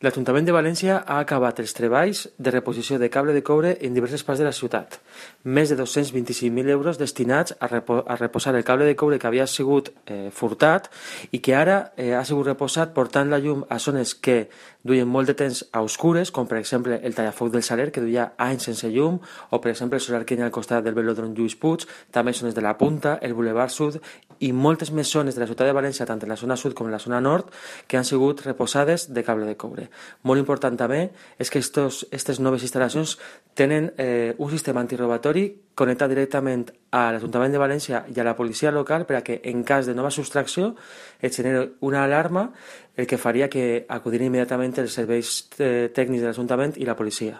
L'Ajuntament de València ha acabat els treballs de reposició de cable de coure en diverses parts de la ciutat. Més de 225.000 euros destinats a reposar el cable de coure que havia sigut furtat i que ara ha sigut reposat portant la llum a zones que duien molt de temps a oscures, com per exemple el tallafoc del Saler, que duia anys sense llum, o per exemple el solar que hi ha al costat del velòdrom Lluís Puig, també zones de la Punta, el Boulevard Sud i moltes més zones de la ciutat de València, tant en la zona sud com en la zona nord, que han sigut reposades de cable de coure. Molt important també és que aquestes noves instal·lacions tenen un sistema antirobatori connectat directament a l'Ajuntament de València i a la policia local per a que en cas de nova subtracció es generi una alarma, el que faria que acudin immediatament els serveis tècnics de l'Ajuntament i la policia.